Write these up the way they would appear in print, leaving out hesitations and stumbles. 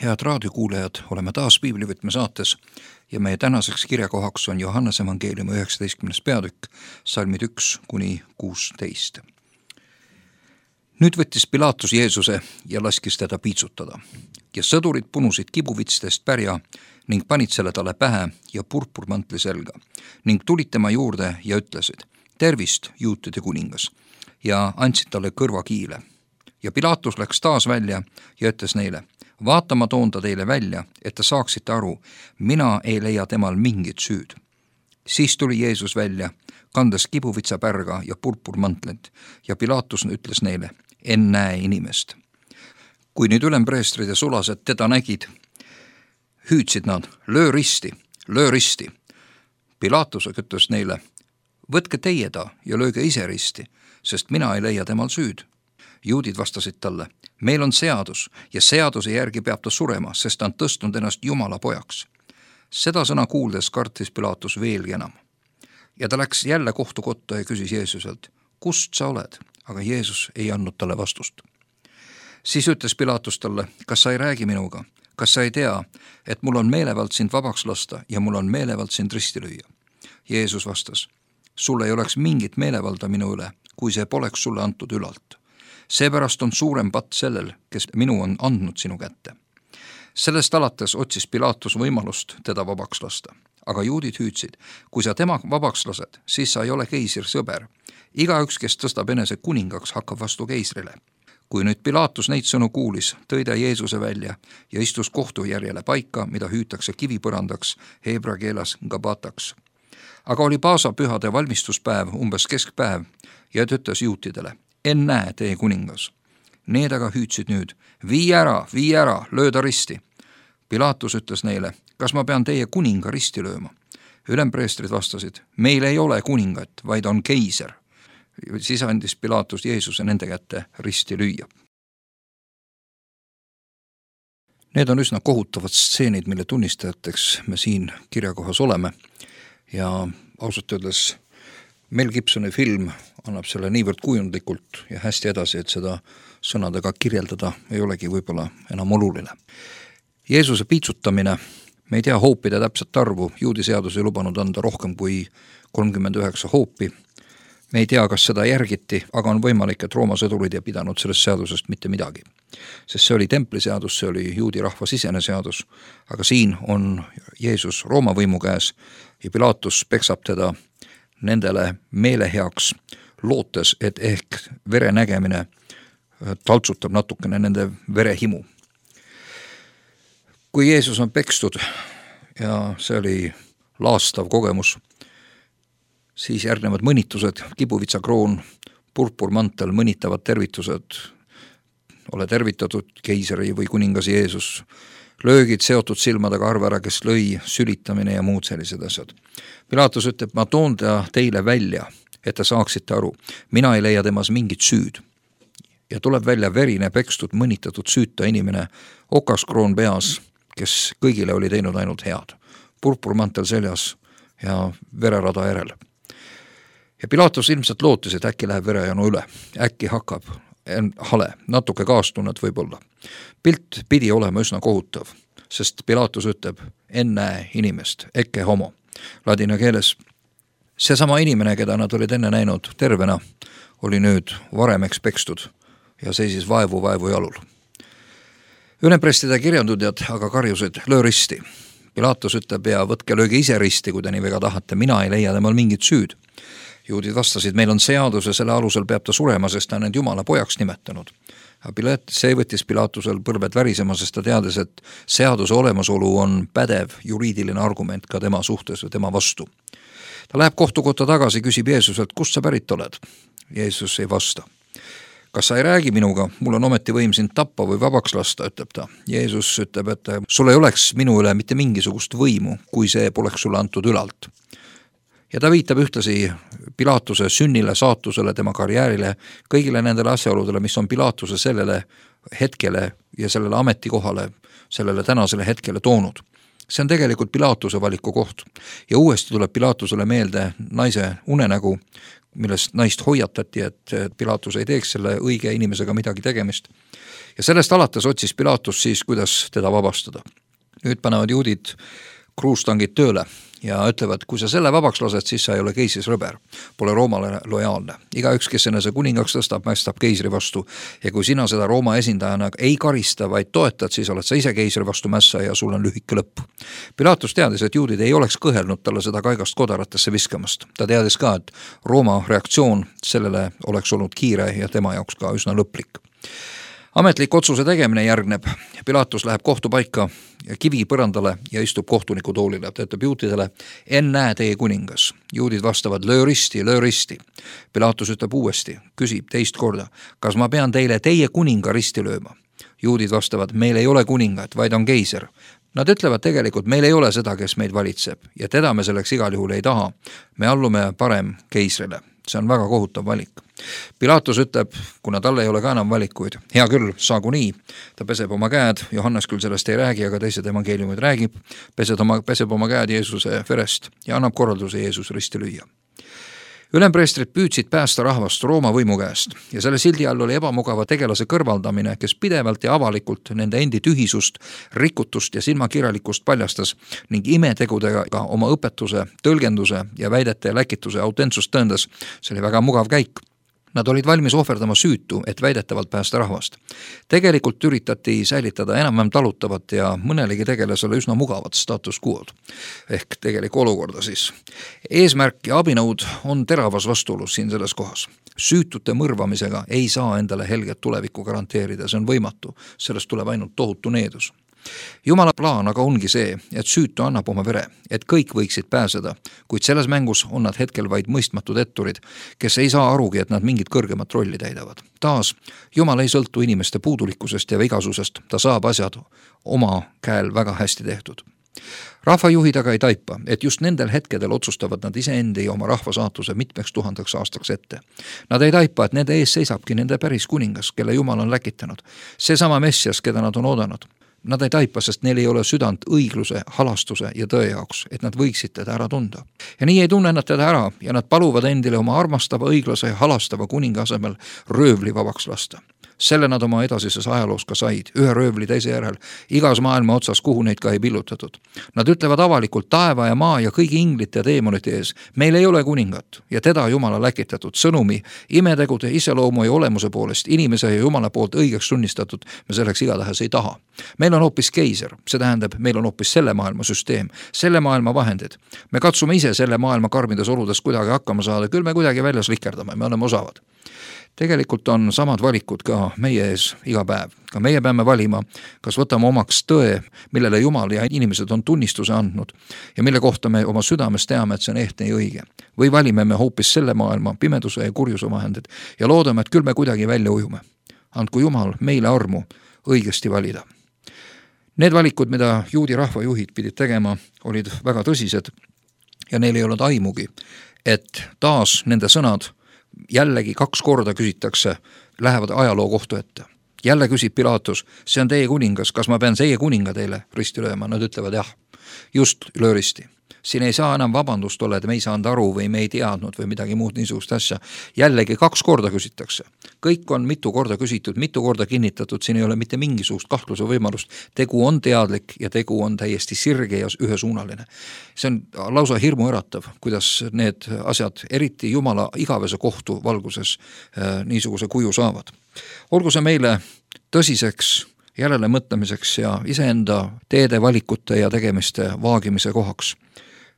Head raadiokuulajad, oleme taas Piiblivõtme saates ja meie tänaseks kirjakohaks on Johannese evangeeliumi 19. peatükk, salmid 1-16. Nüüd võttis Pilaatus Jeesuse ja laskis teda piitsutada. Ja sõdurid punusid kibuvitstest pärja ning panid selle talle pähe ja purpurmantli selga ning tulid tema juurde ja ütlesid: tervist, juutide kuningas, ja andsid talle kõrvakiile. Ja Pilaatus läks taas välja ja ütles neile: vaata, ma toon ta teile välja, et te saaksite aru, mina ei leia temal mingit süüd. Siis tuli Jeesus välja, kandes kibuvitsapärga ja purpurmantlit, ja Pilaatus ütles neile: en näe inimest. Kui nüüd ülempreestrid ja sulased teda nägid, hüüdsid nad: löö risti, löö risti. Pilaatus ütles neile: võtke teie ta ja lööge ise risti, sest mina ei leia temal süüd. Juudid vastasid talle: meil on seadus ja seaduse järgi peab ta surema, sest ta on tõstnud ennast Jumala pojaks. Seda sõna kuuldes kartis Pilaatus veelgi enam. Ja ta läks jälle kohtukotta ja küsis Jeesuselt: kust sa oled? Aga Jeesus ei andnud talle vastust. Siis ütles Pilaatus talle: kas sa ei räägi minuga? Kas sa ei tea, et mul on meelevald sind vabaks lasta ja mul on meelevald sind risti lüüa? Jeesus vastas: sul ei oleks mingit meelevalda minu üle, kui see poleks sulle antud ülalt. Seepärast on suurem patt sellel, kes minu on andnud sinu kätte. Sellest alates otsis Pilaatus võimalust teda vabaks lasta. Aga juudid hüüdsid: kui sa tema vabaks lased, siis sa ei ole keisri sõber. Igaüks, kes tõstab enese kuningaks, hakkab vastu keisrile. Kui nüüd Pilaatus neid sõnu kuulis, tõi ta Jeesuse välja ja istus kohtujärjele paika, mida hüütakse kivipõrandaks, heebra keeles gabataks. Aga oli paasapühade valmistuspäev, umbes keskpäev, ja ta ütles juutidele: en näe teie kuningas. Need aga hüüdsid nüüd: vii ära, löö ta risti. Pilaatus ütles neile: kas ma pean teie kuninga risti lööma? Ülempreestrid vastasid: meil ei ole kuningat, vaid on keiser. Siis andis Pilaatus Jeesuse nende kätte risti lüüa. Need on üsna kohutavad stseenid, mille tunnistajateks me siin kirjakohas oleme. Ja ausalt öeldes Mel Gibsoni film annab selle niivõrd kujundlikult ja hästi edasi, et seda sõnadega kirjeldada ei olegi võib-olla enam oluline. Jeesuse piitsutamine, me ei tea hoopide täpset arvu, juudi seadus ei lubanud anda rohkem kui 39 hoopi. Me ei tea, kas seda järgiti, aga on võimalik, et Rooma sõdurid ei pidanud sellest seadusest mitte midagi. Sest see oli templiseadus, see oli juudi rahva sisene seadus, aga siin on Jeesus Rooma võimu käes ja Pilaatus peksab teda nendele meeleheaks, lootes, et ehk vere nägemine taltsutab natukene nende verehimu. Kui Jeesus on pekstud ja see oli laastav kogemus, siis järgnevad mõnitused, kibuvitsakroon, purpurmantel, mõnitavad tervitused, ole tervitatud, keisri või kuningas Jeesus, löögid seotud silmadega arve ära, kes lõi, sülitamine ja muud sellised asjad. Pilaatus ütleb: ma toon ta teile välja, et te saaksite aru, mina ei leia temas mingit süüd. Ja tuleb välja verine, pekstud, mõnitatud süüta inimene, okaskroon peas, kes kõigile oli teinud ainult head, purpurmantel seljas ja vererada järel. Ja Pilaatus ilmselt lootis, et äkki läheb verejanu üle, äkki hakkab hale, natuke kaastunnet võib-olla. Pilt pidi olema üsna kohutav, sest Pilaatus ütleb: en näe inimest, ecce homo. Ladina keeles seesama inimene, keda nad olid enne näinud tervena, oli nüüd varemeks pekstud ja seisis vaevu jalul. Ülempreestide kirjandudjad aga karjusid: löö risti. Pilaatus ütleb: ja võtke lööge ise risti, kui te nii väga tahate, mina ei leia temal mingit süüd. Juudid vastasid: meil on seadus ja selle alusel peab ta surema, sest ta on end Jumala pojaks nimetanud. See võttis Pilaatusel põlved värisema, sest ta teades, et seaduse olemasolu on pädev juriidiline argument ka tema suhtes või tema vastu. Ta läheb kohtukotta tagasi, küsib Jeesuselt: kust sa pärit oled? Jeesus ei vasta. Kas sa ei räägi minuga? Mul on ometi võim sind tappa või vabaks lasta, ütleb ta. Jeesus ütleb, et sul ei oleks minu üle mitte mingisugust võimu, kui see poleks sulle antud ülalt. Ja ta viitab ühtlasi Pilaatuse sünnile, saatusele, tema karjäärile, kõigile nendele asjaoludele, mis on Pilaatuse sellele hetkele ja sellele ametikohale, sellele tänasele hetkele toonud. See on tegelikult Pilaatuse valiku koht ja uuesti tuleb Pilaatusele meelde naise unenägu, millest naist hoiatati, et Pilaatus ei teeks selle õige inimesega midagi tegemist. Ja sellest alates otsis Pilaatus siis, kuidas teda vabastada. Nüüd panevad juudid kruustangid tööle ja ütlevad, kui sa selle vabaks lased, siis sa ei ole keisris rõber, pole Roomale lojaalne. Igaüks, kes enese kuningaks tõstab, mästab keisri vastu ja kui sina seda Rooma esindajana ei karista, vaid toetad, siis oled sa ise keisri vastu mässa ja sul on lühike lõpp. Pilaatus teadis, et juudid ei oleks kõhelnud talle seda kaigast kodaratesse viskamast. Ta teadis ka, et Rooma reaktsioon sellele oleks olnud kiire ja tema jaoks ka üsna lõplik. Ametlik otsuse tegemine järgneb. Pilaatus läheb kohtupaika kivi põrandale ja istub kohtuniku toolile. Ta ütleb juutidele, ennäe teie kuningas. Juudid vastavad, löö risti. Pilaatus ütleb uuesti, küsib teist korda, kas ma pean teile teie kuninga risti lööma? Juudid vastavad, meil ei ole kuningat, vaid on keiser. Nad ütlevad tegelikult, meil ei ole seda, kes meid valitseb ja teda me selleks igal juhul ei taha. Me allume parem keisrile. See on väga kohutav valik. Pilaatus ütleb, kuna talle ei ole ka enam valikuid, hea küll, saagu nii. Ta peseb oma käed, Johannes küll sellest ei räägi, aga teised evangeeliumid räägib, peseb oma käed Jeesuse verest ja annab korralduse Jeesus risti lüüa. Ülempreestrid püüdsid päästa rahvast Rooma võimu käest ja selle sildi all oli ebamugava tegelase kõrvaldamine, kes pidevalt ja avalikult nende endi tühisust, rikutust ja silmakirjalikust paljastas ning imetegudega oma õpetuse, tõlgenduse ja väidete ja läkituse autentsust tõendas. See oli väga mugav käik. Nad olid valmis ohverdama süütu, et väidetavalt päästa rahvast. Tegelikult üritati säilitada enam-vähem talutavat ja mõnelegi tegelasele üsna mugavat status quo'd ehk tegelik olukorda siis. Eesmärk ja abinõud on teravas vastuolus siin selles kohas. Süütute mõrvamisega ei saa endale helget tulevikku garanteerida, see on võimatu, sellest tuleb ainult tohutu needus. Jumala plaan aga ongi see, et süütu annab oma vere, et kõik võiksid pääseda, kuid selles mängus on nad hetkel vaid mõistmatud etturid, kes ei saa arugi, et nad mingit kõrgemat rolli täidavad. Taas, Jumal ei sõltu inimeste puudulikkusest ja vigasusest, ta saab asjad oma käel väga hästi tehtud. Rahvajuhid aga ei taipa, et just nendel hetkedel otsustavad nad iseendi ja oma rahva saatuse mitmeks 1000 aastaks ette. Nad ei taipa, et nende ees seisabki nende päris kuningas, kelle Jumal on läkitanud. Seesama Messias, keda nad on oodanud. Nad ei taipa, sest neil ei ole südant õigluse, halastuse ja tõe jaoks, et nad võiksid teda ära tunda. Ja nii ei tunne nad teda ära ja nad paluvad endile oma armastava, õiglase ja halastava kuninga asemel röövli vabaks lasta. Selle nad oma edasises ajaloos ka said, ühe röövli teise järel, igas maailma otsas, kuhu neid ka ei pillutatud. Nad ütlevad avalikult taeva ja maa ja kõigi inglite ja teemonite ees, meil ei ole kuningat ja teda Jumala läkitatud sõnumi, imetegude, iseloomu ja olemuse poolest, inimese ja Jumala poolt õigeks tunnistatud, me selleks igatahes ei taha. Meil on hoopis keiser, see tähendab, meil on hoopis selle maailma süsteem, selle maailma vahendid. Me katsume ise selle maailma karmides oludes kuidagi hakkama saada, küll me kuidagi väljas likerdame, me oleme osavad. Tegelikult on samad valikud ka meie ees iga päev. Ka meie peame valima, kas võtame omaks tõe, millele Jumal ja inimesed on tunnistuse andnud ja mille kohta me oma südames teame, et see on ehtne ja õige. Või valime me hoopis selle maailma pimeduse ja kurjuse vahendid ja loodame, et küll me kuidagi välja ujume. Andku Jumal meile armu õigesti valida. Need valikud, mida juudi rahvajuhid pidid tegema, olid väga tõsised ja neil ei olnud aimugi, et taas nende sõnad jällegi 2 korda küsitakse, lähevad ajaloo kohtu ette. Jälle küsib Pilaatus, see on teie kuningas, kas ma pean teie kuninga teile risti lööma? Nad ütlevad jah, just löö risti. Siin ei saa enam vabandust olla, et me ei saanud aru või me ei teadnud või midagi muud niisugust asja. Jällegi 2 korda küsitakse. Kõik on mitu korda küsitud, mitu korda kinnitatud, siin ei ole mitte mingisugust kahtluse võimalust. Tegu on teadlik ja tegu on täiesti sirge ja ühesuunaline. See on lausa hirmuäratav, kuidas need asjad, eriti Jumala igavese kohtu valguses niisuguse kuju saavad. Olgu see meile tõsiseks järele mõtlemiseks ja iseenda teede valikute ja tegemiste vaagimise kohaks.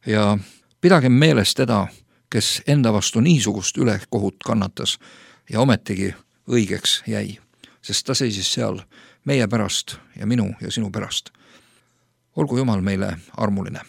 Ja pidagem meeles teda, kes enda vastu niisugust ülekohut kannatas ja ometigi õigeks jäi, sest ta seisis seal meie pärast ja minu ja sinu pärast. Olgu Jumal meile armuline.